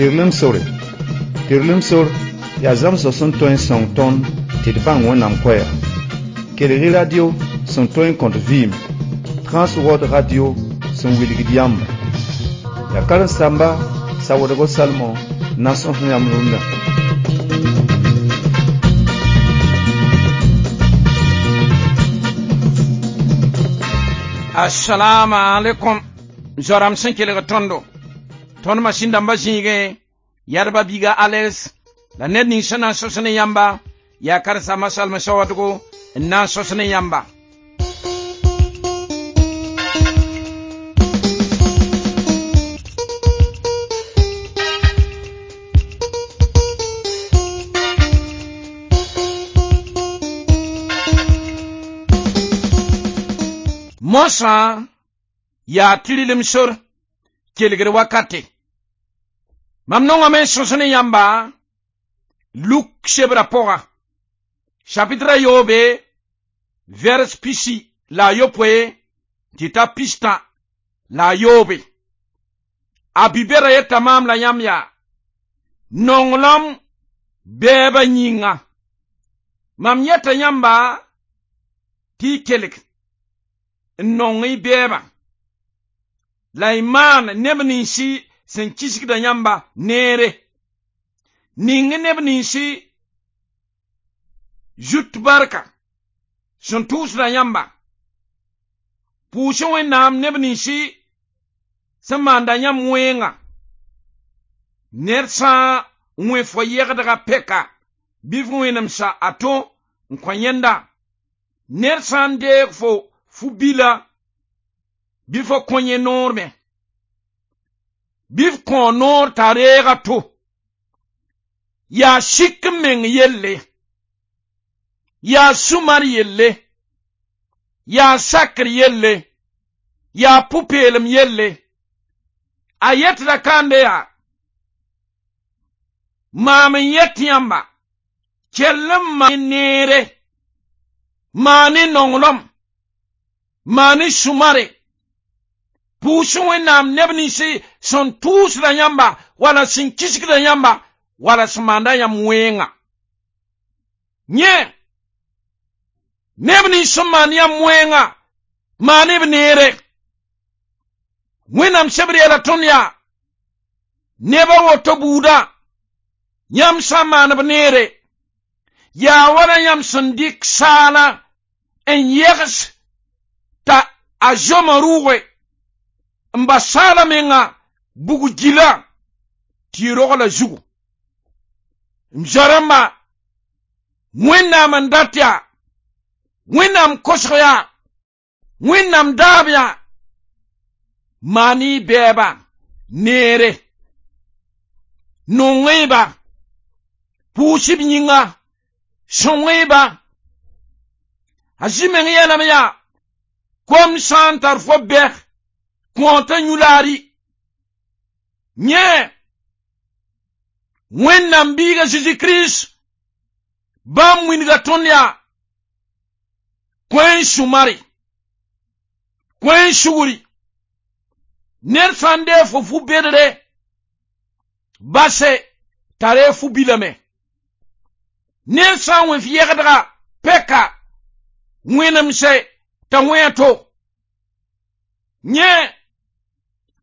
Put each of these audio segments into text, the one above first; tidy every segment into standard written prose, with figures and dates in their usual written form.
Tɩrlem sore. Tɩrlem sor yaa zãmsg sẽn tõe n sõng tõnd tɩ d bãng Wẽnnaam koɛɛga. Kelg-y radio sẽn tõe n kõt vɩɩm, Transworld Radio sẽn wilgd yãmba. Yaa karen-saamba Sawoodgo Salmon n na n sõs yãmb rũndã. Assalamu alaikum zoram sẽn kelg tõndo tõnd masĩn dãmba zĩigẽ yadba biiga Alex la ned ning sẽn na n sos ne yãmba yaa karen-saamba Salmõ Sawadgo n na n sos ne yãmba. Mosã yaa tɩrlem sor kelgr wakate. Mam nongame n sõs ne yãmba Luk sebra pʋga chapitre yoobe vers pisi la a yopoe tɩ ta pistã la a yoobe. A bi-bɛda yeta maam la yãmb yaa nonglem bɛɛba yĩnga. Mam yeta yãmba tɩ y kelg n nong y bɛɛbã la y maan neb ninsi sẽn kisgda yãmba neere. Ning neb ninsi zut barka sẽn tʋʋsda yãmba. Pʋʋs Wẽnnaam neb ninsi sẽn maanda yãmb wẽnga. Ned sã n wẽ fo yɛgdga pɛka bɩ f wẽnemsa a to n kõ yẽnda. Ned sã n deeg fo fu-bila bɩ fo kõ yẽ noor me. Bɩ f kõ noor t'a reeg a to. Yaa sik n meng yelle, yaa sũmar yelle, yaa sakr yelle, yaa pʋ-peelem yelle. A yetda kãande yaa maam n yet yãmba kell n maan neere, maan y nonglem, maan y sũmare, pʋʋs Wẽnnaam neb ninsi sẽn tʋʋsda yãmba wala sẽn kisgda yãmba wala sẽn maanda yãmb wẽnga. Yẽ neb nins sẽn maan yãmb wẽnga maan b neere. Wẽnnaam sebr yeela tõnd yaa neb a woto buudã yãmb sã n maan b neere yaa wala yãmb sẽn dɩk saala n yɛgs t'a a zoma rʋʋge n bas saala menga bug gila tɩ y rogla zugu. M zoa-rãmba, Wẽnnaam n dat yaa, Wẽnnaam kosg yaa, Wẽnnaam daab yaa, maan y bɛɛba neere, nong-y-ba, pʋʋs b yĩnga, sõng-y-ba. A zĩ meng yeelame yaa kom sã n tar fo bɛg kõota yũ-laari. Yẽ Wẽnnaam biiga Zeezi Kirist bãmb wilga tõnd yaa kõ n sũmare, kõ n sugri. Ned sã n deeg fo fu-bedre base t'a reeg fu-bilame. Ned sã n wẽ f yɛgdga pɛka wẽnemse t'a wẽ a to. Yẽ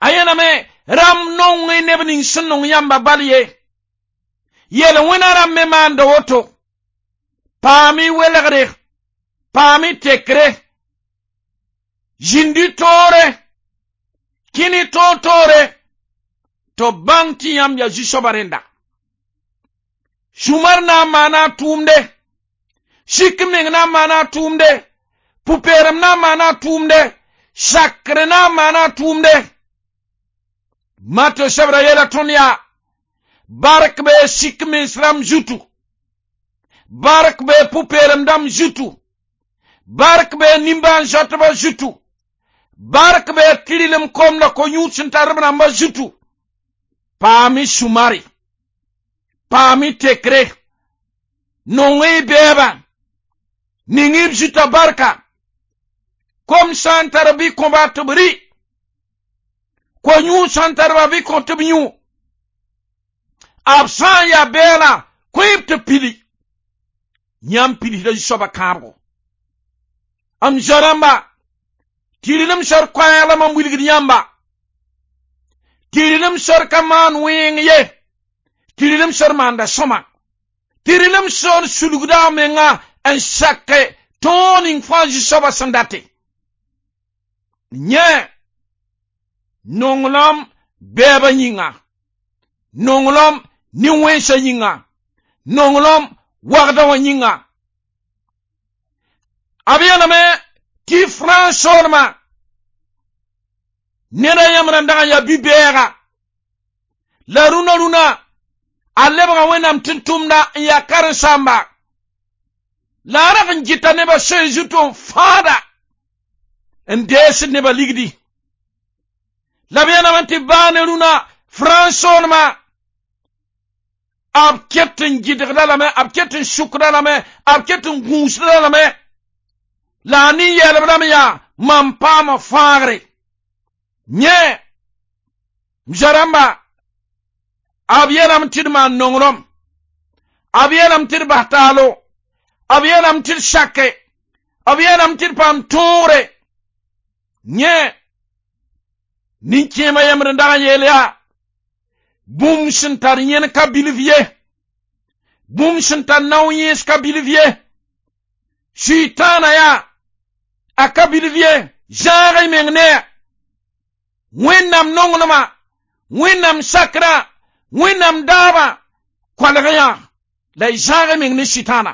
a yeelame rãmb nong y neb ning sẽn nong yãmba bal ye. Yel wẽna rãmb me maanda woto. Paam y welgre, paam y tekre, zĩndi toore, kẽn y toor-toore, tɩ b bãng tɩ yãmb yaa zu-soaba rẽnda. Sũmar na n maana a tʋʋmde, sik meng na n maana a tʋʋmde, pʋ-peelem na n maana a tʋʋmde, sakr na n maana a tʋʋmde. Matɩ sebra yeela tõnd yaa bark bee sik mens rãmb zutu, bark bee pʋ-peelem dãmb zutu, bark bee nimbãan-zoatbã zutu, bark bee tɩrlem kom la ko-yũud sẽn tar b rãmbã zutu. Paam y sũmare, paam y tekre, nong y bɛɛbã, ning y b zutã barka. Kom sã n tar bɩ kõba tɩ b rɩ, ko-yũud sã n tar ba bɩ kõ tɩ b yũ. B sã n yaa bɛɛlã, kõ-b tɩ pili. Yãmb pidsda zu-soabã kãabgo. M zoa-rãmba, tɩrlem sor koɛɛg la mam wilgd yãmba. Tɩrlem sor ka maan wẽeng ye. Tɩrlem sor maanda sõma. Tɩrlem sor sulgda a menga n sake tõog ning fãa zu-soabã sẽn date. Yẽ nonglem bɛɛbã yĩnga, nonglem nin-wẽnsã yĩnga, nonglem wagda wã yĩnga. B yeelame tɩ frãns soolmã neda yãmb rãn dag n yaa bi-bɛɛga la rũnã rũnã a lebga Wẽnnaam tʋm-tʋmda n yaa karen-saamba la a rag n gɩta nebã soe zuto n fãada n deesd nebã ligdi. La b yeelame tɩ baa ne rũnã frãns soolmã b ket n gɩdgda lame, b ket n sʋkda lame, b ket n gũusda lame, la a nin-yɛɛlb rãmb yaa mam paama fãagre. Yẽ m zoa-rãmba, b yeelame tɩ d maan nonglem, b yeelame tɩ d bas taalo, b yeelame tɩ d sake, b yeelame tɩ d paam tõogre. Yẽ nin-kẽemã yembr n dag n yeel yaa bũmb sẽn tar yẽn ka bilf ye, bũmb sẽn tar nao yẽes ka bilf ye, Sʋɩtãana yaa a ka bilf ye, zãag y meng ne a. Wẽnnaam nonglmã, Wẽnnaam sakrã, Wẽnnaam daabã koalg yã la y zãag y meng ne Sʋɩtãana.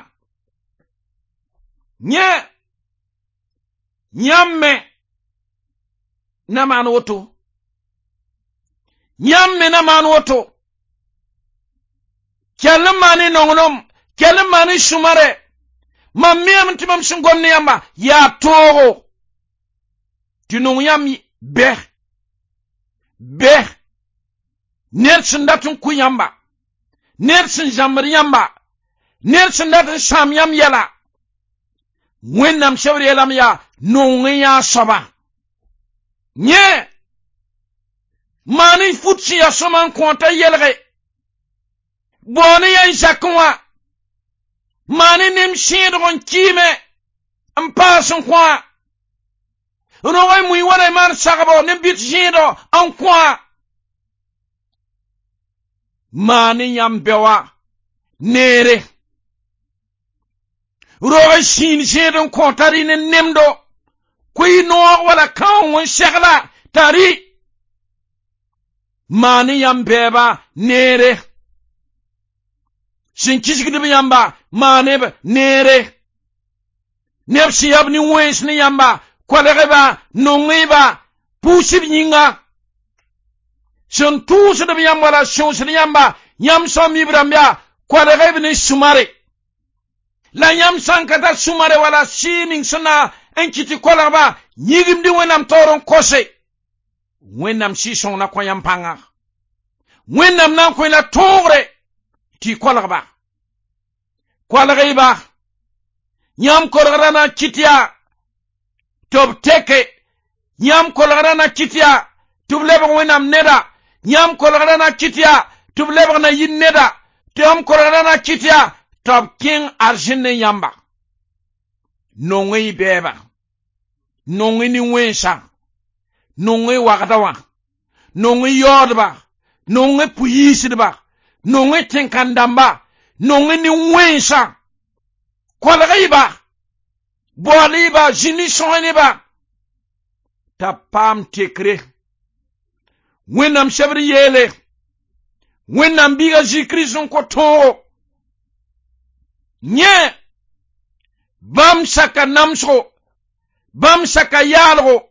Yẽ yãmb me na maan woto. Yãmb me na maan woto. Kell n maan y nonglem, kell n maan y sũmare. Mam miame tɩ mam sẽn gom ne yãmba yaa toogo tɩ nong yãmb bɛ bɛ ned sẽn dat n kʋ yãmba, ned sẽn zãmbd yãmba, ned sẽn dat n sãam yãmb yɛla. Wẽnnaam sebr yeelame yaa nong n yã soaba. Yẽ maan y fut sẽn yaa sõma n kõota yelge, bao ne yã n zakẽ wã, maan y nem sẽedg n kɩɩme n paas n kõ-a, rog y mui wala y maan sagbo ne bɩt zẽedo n kõ-a. Maan y yãmb bɛ wã neere, rog y sĩin zẽed n kõ t'a rɩ ne nemdo, kʋ y noog wala kãong n segla t'a rɩ. Maan y yãmb bɛɛba neere, sẽn kisgd b yãmba maane b neere, neb sẽn yaa b nin-wẽns ne yãmba kolg-ba, nong-ba, pʋʋs b yĩnga. Sẽn tʋʋsd b yãmb wala sõsd yãmba, yãmb sã n mi b rãmb yaa kolg b ne sũmare. La yãmb sã n ka tar sũmare wala sɩɩ ning sẽn na n kɩt tɩ kolgba, yĩgimd Wẽnnaam taoor n kose. Wẽnnaam Sɩɩg-sõng na kõ yãmb pãnga. Wẽnnaam na n kõ la tõogre tɩ y kolgba. Kolg-y-ba. Yãmb kolgrã na n kɩt yaa tɩ b teke. Yãmb kolgrã na kɩt yaa tɩ b lebg Wẽnnaam neda. Yãmb kolgrã na kɩt yaa tɩ b lebg na yir neda. Tɩ yãmb kolgrã na kɩt yaa tɩ b kẽng arzẽn ne yãmba. Nong-y bɛɛba, nong-y nin-wẽnsã, nong-y wagda wã, nong-y yaoodba, nong-y pʋ-yiisdba, nong-y tẽn-kãn-dãmba, nong-y nin-wẽnsã. Kolg-y-ba, baool-y-ba, zĩnd y sõs ne-ba t'a paam tekre. Wẽnnaam sebr yeele, Wẽnnaam biiga Zĩ-Kirist n kõ tõogo. Yẽ bãmb saka namsgo, bãmb saka yaalgo,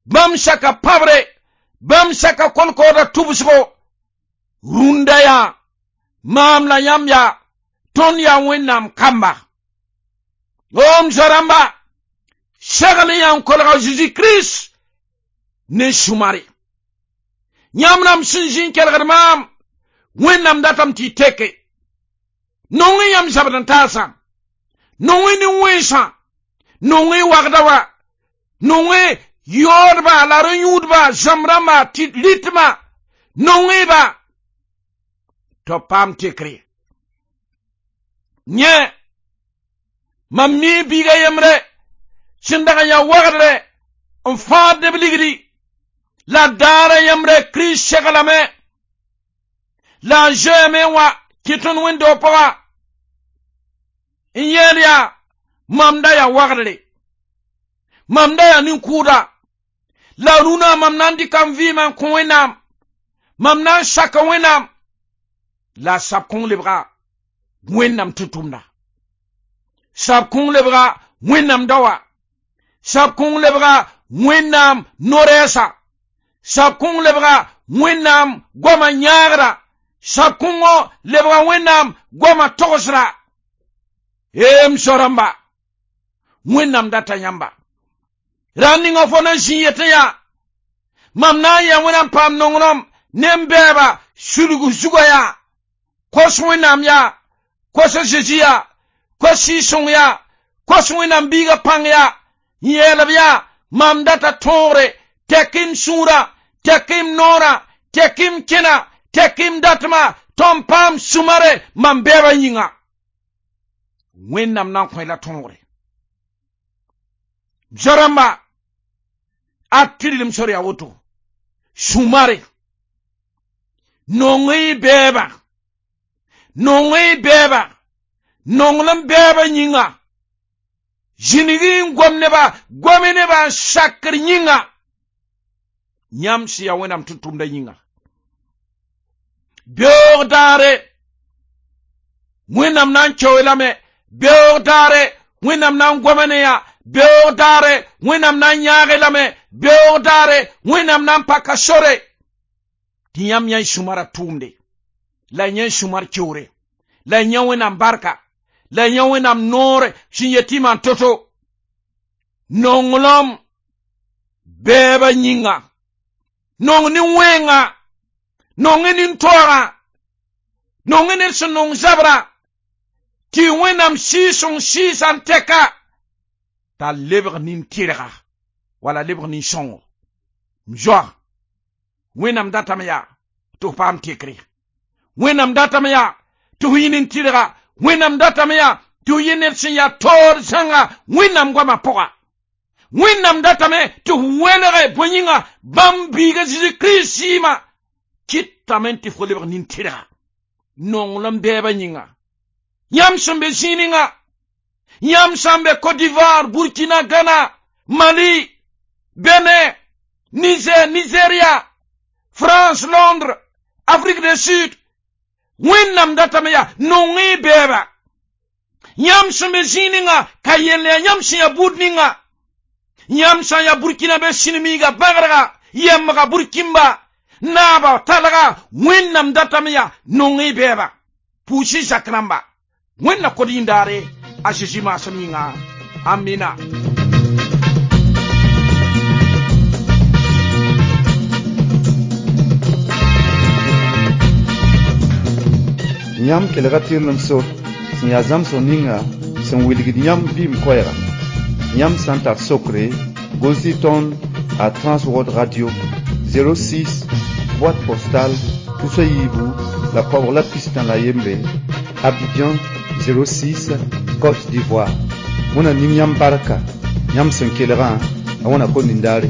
bãmb saka pãbre, bãmb saka kolkoodã tʋbsgo. Rũndã yaa maam la yãmb yaa tõnd yaa Wẽnnaam kamba. M zoa-rãmba, segl n yaa n kolga Zezi Kirist ne sũmare. Yãmb rãmb sẽn zĩ n kelgd maam, Wẽnnaam datame tɩ y teke. Nong y yãmb zabd n taasã, nong y nin-wẽnsã, nong y wagda wã, nong y yaoodba la rẽ-yũudba, zãmb rãmba tɩ rɩtmã, nong-y-ba. Tɩ b paam tekre. Yẽ mam mi biiga yembre sẽn dag n yaa wagdre n fãad neb ligdi la daara yembre Kirist seglame la a zoeeme n wa kɩ tõnd wẽnd-doog pʋga n yeel yaa mam da yaa wagdre, mam da yaa nin-kʋʋda la rũnã mam na n dɩka m vɩɩmã n kõ Wẽnnaam, mam na n saka Wẽnnaam la sab kõng lebga Wẽnnaam tʋm-tʋmda, sab kõng lebga Wẽnnaam daoa, sab kõng lebga Wẽnnaam no-rɛɛsa, sab kõng lebga Wẽnnaam goamã yãagra, sab kõngõ lebga Wẽnnaam goamã togsra. M so-rãmba, Wẽnnaam data yãmba. Ra ninga fo na n zĩ yetẽ yaa mam na n yaa Wẽnnaam paam nonglem ne m bɛɛba sulg zugã yaa kos Wẽnnaam yaa kos a Zezi yaa kos Sɩɩg-sõng yaa kos Wẽnnaam biigã pãng yaa n yeel b yaa mam data tõogre tɛk m sũurã, tɛk m noorã, tɛk m kẽna, tɛk m datmã tɩ m paam sũ-mare mam bɛɛbã yĩnga. Wẽnnaam na n kõ la tõogre. Zo-rãmba, a tɩrlem sor yaa woto sũ-mare nong y bɛɛba, nong y bɛɛba, nonglem bɛɛba yĩnga, zĩnig n gom neba, gome neba n sakr yĩnga, yãmb sẽn yaa Wẽnnaam tʋm-tʋmdã yĩnga. Beoog daare Wẽnnaam na n kao lame, beoog daare Wẽnnaam na n goma ne yã, beoog daare Wẽnnaam na n yãag lame, beoog daare Wẽnnaam na n paka sore tɩ yãmb yã y sũ-marã tʋʋmde, la yã y sũ-mar keoore, la yã Wẽnnaam barka, la yã Wẽnnaam noore sẽn yet tɩ maan to-to. Nonglem bɛɛbã yĩnga, nong nin-wẽnga, nong nin-toagã, nong ned sẽn nong zabra, tɩ Wẽnnaam Sɩɩg-sõng sɩɩsã n tɛka t'a lebg nin-tɩrga wala lebg nin-sõngo. M zoa, Wẽnnaam datame yaa tɩ f paam tekre, Wẽnnaam datame yaa tɩ f yẽ nin-tɩrga, Wẽnnaam datame yaa tɩ f yẽ ned sẽn yaa taoor zãnga Wẽnnaam goamã pʋga. Wẽnnaam datame tɩ f welge bõe yĩnga bãmb biiga Zeezi Kirist sɩɩmã kɩtame tɩ fo lebg nin-tɩrga nonglem bɛɛbã yĩnga. Yãmb sẽn be zĩig ninga, yãmb sã n be Côte d'Ivoire, Burkina, Ghana, Mali, Benin, Niger, Nigeria, France, Londres, Afrique du Sud, Wẽnnaam datame yaa nong y bɛɛba. Yãmb sẽn be zĩig ninga ka yell yaa yãmb sẽn yaa buud ninga, yãmb sã n yaa Burkina be sĩnmiiga bãgrega, yɛmbga Burkimba, naaba talga, Wẽnnaam datame yaa nong y bɛɛba. Pʋʋs-y zak rãmba. Wẽnna kod yĩndaare a Zezi maasem yĩnga. Amina. Yãmb kelga tɩrlem sor sẽn yaa zãmsg ninga sẽn wilgd yãmb vɩɩm koɛɛga. Yãmb sã n tar sokre, gʋls-y tõnd a Transworld Radio 06 boîte postale tusa yiibu la koabg la pistã la yembre, Abidjan 06 Côte d'Ivoire. Wẽna ning yãmb barka, yãmb sẽn kelgã, a wẽna kom nindaare.